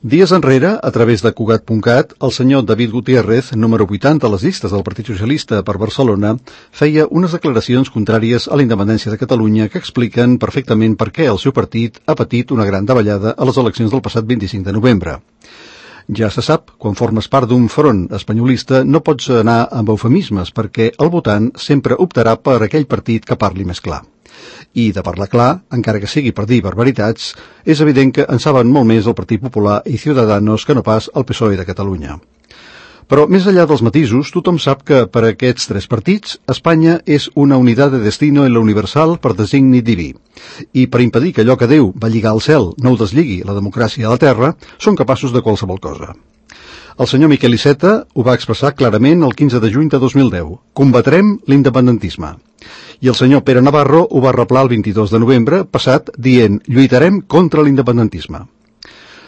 Dies enrere, a través de Cugat.cat, el senyor David Gutiérrez, número 80 a les llistes del Partit Socialista per Barcelona, feia unes declaracions contràries a la independència de Catalunya que expliquen perfectament per què el seu partit ha patit una gran davallada a les eleccions del passat 25 de novembre. Ja se sap, quan formes part d'un front espanyolista no pots anar amb eufemismes perquè el votant sempre optarà per aquell partit que parli més clar. I de parlar clar, encara que sigui per dir barbaritats, és evident que en saben molt més el Partit Popular i Ciudadanos que no pas el PSOE de Catalunya. Però més enllà dels matisos, tothom sap que per a aquests tres partits, Espanya és una unitat de destino en la universal per designi diví. I per impedir que allò que Déu va lligar al cel no ho deslligui la democràcia a la terra, són capaços de qualsevol cosa. El senyor Miquel Iceta ho va expressar clarament el 15 de juny de 2010. Combatrem l'independentisme. I el senyor Pere Navarro ho va replar el 22 de novembre passat dient lluitarem contra l'independentisme.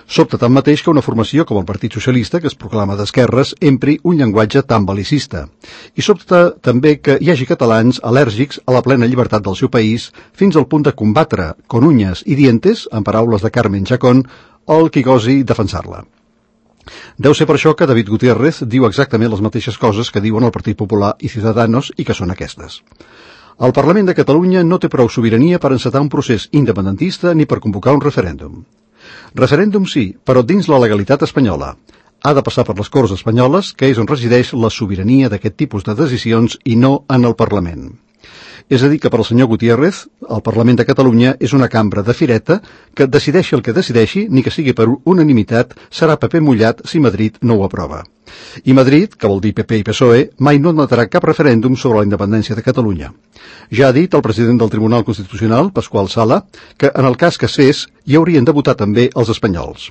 Sobta tanmateix que una formació com el Partit Socialista, que es proclama d'esquerres, empri un llenguatge tan bel·licista. I sobta també que hi hagi catalans al·lèrgics a la plena llibertat del seu país fins al punt de combatre, con uñas i dientes, en paraules de Carmen Chacón, el qui gosi defensar-la. Deu ser per això que David Gutiérrez diu exactament les mateixes coses que diuen el Partit Popular i Ciudadanos i que són aquestes. El Parlament de Catalunya no té prou sobirania per encetar un procés independentista ni per convocar un referèndum. Referèndum sí, però dins la legalitat espanyola. Ha de passar per les Corts espanyoles, que és on resideix la sobirania d'aquest tipus de decisions i no en el Parlament. És a dir, que per al senyor Gutiérrez, el Parlament de Catalunya és una cambra de fireta que decideixi el que decideixi, ni que sigui per unanimitat, serà paper mullat si Madrid no ho aprova. I Madrid, que vol dir PP i PSOE, mai no admetrà cap referèndum sobre la independència de Catalunya. Ja ha dit el president del Tribunal Constitucional, Pasqual Sala, que en el cas que es fes, hi haurien de votar també els espanyols.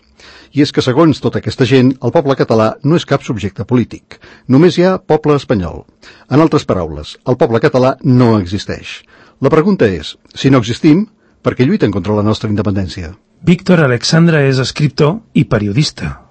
I és que, segons tota aquesta gent, el poble català no és cap subjecte polític. Només hi ha poble espanyol. En altres paraules, el poble català no existeix. La pregunta és, si no existim, per què lluiten contra la nostra independència? Víctor Alexandra és escriptor i periodista.